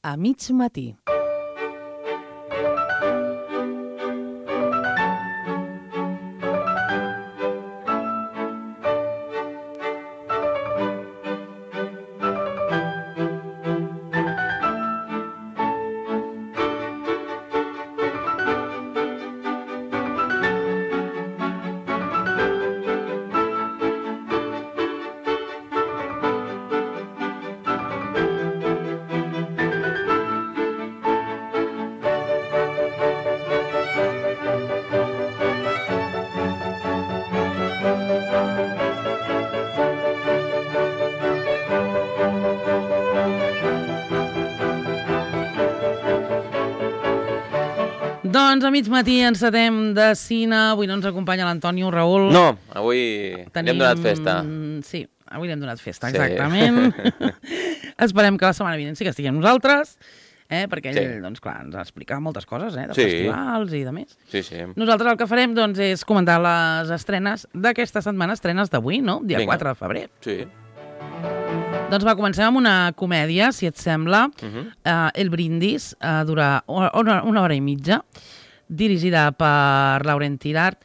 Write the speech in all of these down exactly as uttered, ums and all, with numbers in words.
a mig matí. Doncs a mig matí encetem de cine. Avui no ens acompanya l'Antonio, Raül. No, avui Tenim... li hem donat festa. Sí, avui li hem donat festa, exactament. Sí. Esperem que la setmana vinent sí que estiguem nosaltres, eh? perquè ell, sí. doncs, clar, ens ha explicat moltes coses, eh? de sí. festivals i de més. Sí, sí. Nosaltres el que farem doncs, és comentar les estrenes d'aquesta setmana, estrenes d'avui, no? Dia Vinga. quatre de febrer. Sí. Doncs va, comencem amb una comèdia, si et sembla. Uh-huh. uh, El Brindis, uh, dura una, una hora i mitja, dirigida per Laurent Tirard.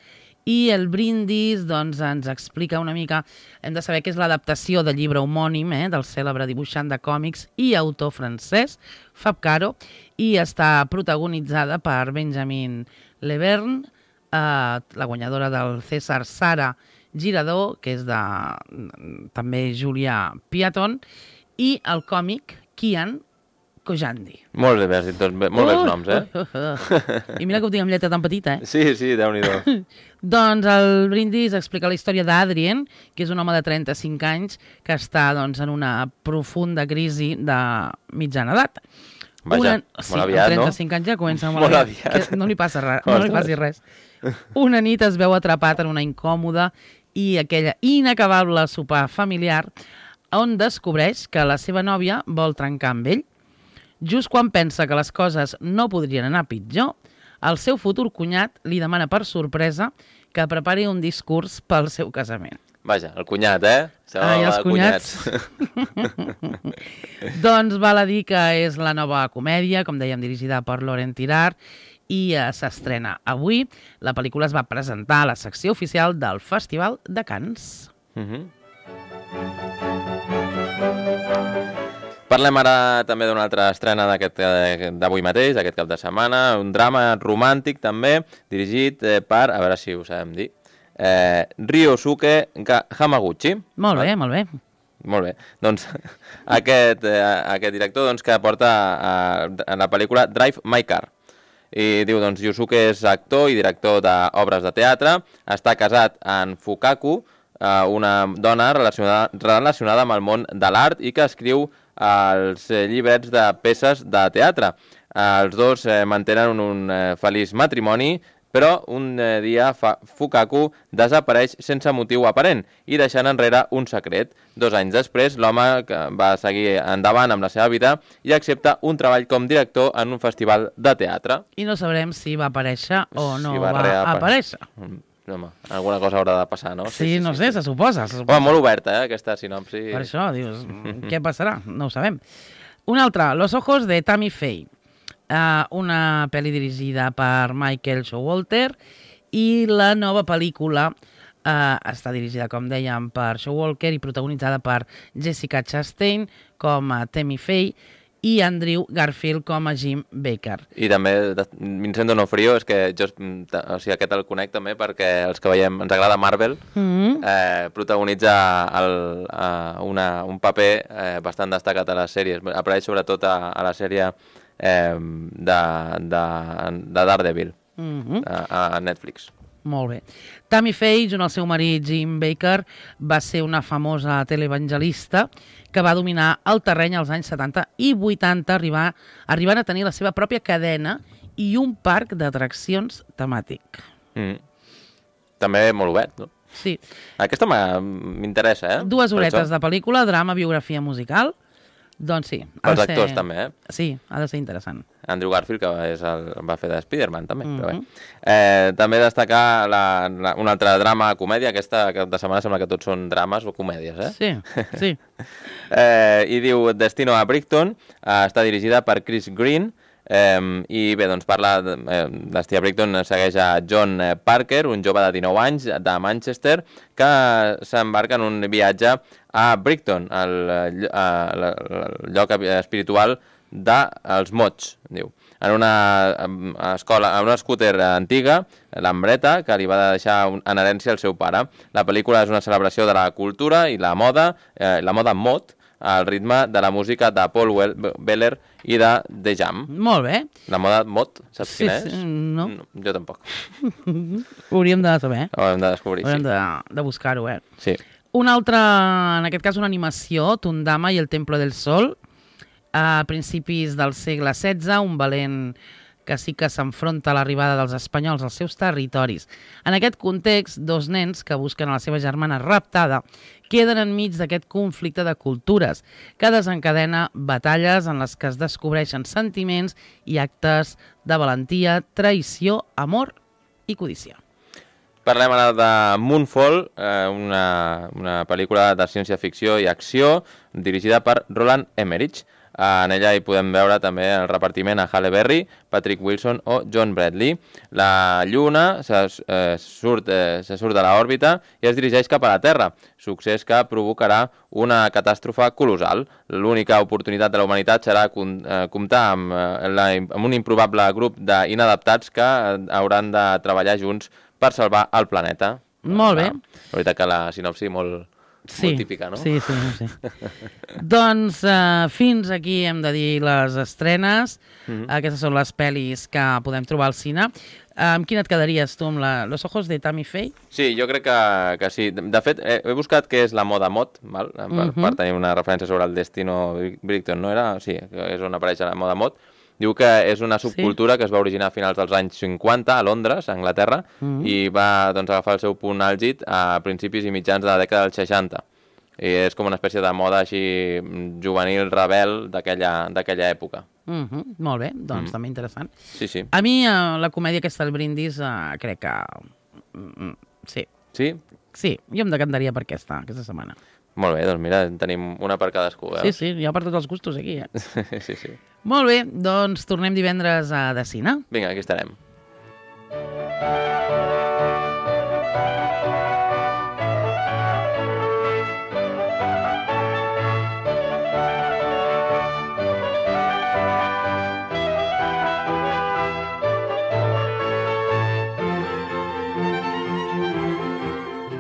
I El Brindis doncs, ens explica una mica... Hem de saber que és l'adaptació del llibre homònim eh, del cèlebre dibuixant de còmics i autor francès, Fab Caro, i està protagonitzada per Benjamin Leverne, uh, la guanyadora del César Sara Girador, que és de també Julià Piaton, i el còmic Kian Kojandi. Molt bé, has dit tots bé, molt uh, bons noms, eh? Uh, uh, uh. I mira que ho tinc amb lletra tan petita, eh? Sí, sí, Déu-n'hi-do. Doncs el Brindis explica la història d'Adrien, que és un home de trenta-cinc anys que està doncs, en una profunda crisi de mitjana edat. Vaja, una... sí, molt aviat, no? trenta-cinc anys ja comença molt, molt aviat. aviat. No li passa res, no li passi res. Una nit es veu atrapat en una incòmoda i aquella inacabable sopar familiar on descobreix que la seva nòvia vol trencar amb ell. Just quan pensa que les coses no podrien anar pitjor, el seu futur cunyat li demana per sorpresa que prepari un discurs pel seu casament. Vaja, el cunyat, eh? Ai, els cunyats. Doncs val a dir que és la nova comèdia, com dèiem, dirigida per Laurent Tirard, i uh, s'estrena avui. La pel·lícula es va presentar a la secció oficial del Festival de Cannes. Uh-huh. Parlem ara també d'una altra estrena d'avui mateix, d'aquest cap de setmana, un drama romàntic també, dirigit eh, per, a veure si ho sabem dir, eh, Ryosuke Hamaguchi. Molt bé, molt bé. Molt bé. Doncs aquest, eh, aquest director doncs, que porta a, a la pel·lícula Drive My Car. I diu, doncs, Yusuke és actor i director d'obres de teatre, està casat amb Fukaku, eh, una dona relacionada, relacionada amb el món de l'art i que escriu els llibrets de peces de teatre. Els dos eh, mantenen un, un eh, feliç matrimoni, però un eh, dia fa, Fukaku desapareix sense motiu aparent i deixant enrere un secret. Dos anys després, l'home va seguir endavant amb la seva vida i accepta un treball com director en un festival de teatre. I no sabrem si va aparèixer o no si va, va aparèixer. Home, alguna cosa haurà de passar, no? Sí, sí, sí no sí, sé, sí. se suposa. Se suposa. Home, molt oberta, eh, aquesta sinopsi. Per això, dius, què passarà? No ho sabem. Una altra, Los ojos de Tammy Faye. Uh, una pel·li dirigida per Michael Showalter i la nova pel·lícula uh, està dirigida, com dèiem, per Showalter i protagonitzada per Jessica Chastain com a Tammy Faye i Andrew Garfield com a Jim Baker. I també Vincent D'Onofrio, és que jo o sigui, aquest el conec també perquè els que veiem, ens agrada Marvel, mm-hmm. eh, protagonitza el, uh, una, un paper eh, bastant destacat a les sèries. Apareix sobretot a, a la sèrie eh, de, de, de Daredevil, mm-hmm. a, a Netflix. Molt bé. Tammy Faye, junt al seu marit Jim Baker, va ser una famosa televangelista que va dominar el terreny als anys setanta i vuitanta, arribar, arribant a tenir la seva pròpia cadena i un parc d'atraccions temàtic. Mm. També molt obert, no? Sí. Aquesta m'interessa, eh? Dues horetes de pel·lícula, drama, biografia musical. Doncs sí. Els actors ser... també, eh? Sí, ha de ser interessant. Andrew Garfield, que és el, va fer de Spider-Man, també. Mm-hmm. Però bé. Eh, també destacar la, la, un altre drama, comèdia. Aquesta cap de setmana sembla que tots són drames o comèdies, eh? Sí, sí. eh, I diu Destino a Brighton, eh, està dirigida per Chris Green, eh, i bé, doncs parla, de, eh, Destí a Brighton segueix a John Parker, un jove de dinou anys de Manchester, que s'embarca en un viatge a Brighton, el, el, el lloc espiritual dels mots, diu. En una escola, en una scooter antiga, l'Ambreta, que li va deixar en herència al seu pare. La pel·lícula és una celebració de la cultura i la moda, eh, la moda mod, al ritme de la música de Paul Weller i de The Jam. Molt bé. La moda mod, saps Sí, quina és? sí, no. no. Jo tampoc. Ho hauríem de saber. Ho hem de descobrir, Hauríem sí. de, de buscar-ho, eh? Sí. Una altra, en aquest cas una animació, Tundama i el Templo del Sol, a principis del segle setze, un valent que sí que s'enfronta a l'arribada dels espanyols als seus territoris. En aquest context, dos nens que busquen a la seva germana raptada queden enmig d'aquest conflicte de cultures que desencadena batalles en les que es descobreixen sentiments i actes de valentia, traïció, amor i codícia. Parlem ara de Moonfall, eh, una, una pel·lícula de ciència-ficció i acció dirigida per Roland Emmerich. En ella hi podem veure també el repartiment a Halle Berry, Patrick Wilson o John Bradley. La Lluna se, eh, surt, eh, se surt de l'òrbita i es dirigeix cap a la Terra, succés que provocarà una catàstrofe colossal. L'única oportunitat de la humanitat serà eh, comptar amb, eh, la, amb un improbable grup d'inadaptats que hauran de treballar junts per salvar el planeta. Molt bé. La, la veritat que la sinopsi molt... Sí, molt típica, no? Sí, sí, sí. Doncs uh, fins aquí hem de dir les estrenes. Mm-hmm. Aquestes són les pel·lis que podem trobar al cine. Uh, amb quina et quedaries tu, amb la Los ojos de Tammy Faye? Sí, jo crec que, que sí. De fet, he, he buscat què és la moda mod, val? Per, mm-hmm. per tenir una referència sobre el Destino Brighton, no era? Sí, és on apareix la moda mod. Diu que és una subcultura sí. que es va originar a finals dels anys cinquanta a Londres, a Anglaterra, mm-hmm. i va doncs, agafar el seu punt àlgid a principis i mitjans de la dècada dels seixanta. I és com una espècie de moda així juvenil, rebel d'aquella època. Mm-hmm. Molt bé, doncs mm. també interessant. Sí, sí. A mi eh, la comèdia aquesta del Brindis eh, crec que... Mm, sí. Sí? Sí, jo em decantaria per aquesta, aquesta setmana. Molt bé, doncs mira, tenim una per cadascú, eh? Sí, sí, hi ha per tots els gustos aquí, eh? sí, sí. Molt bé, doncs tornem divendres a De Cine. Vinga, aquí estarem.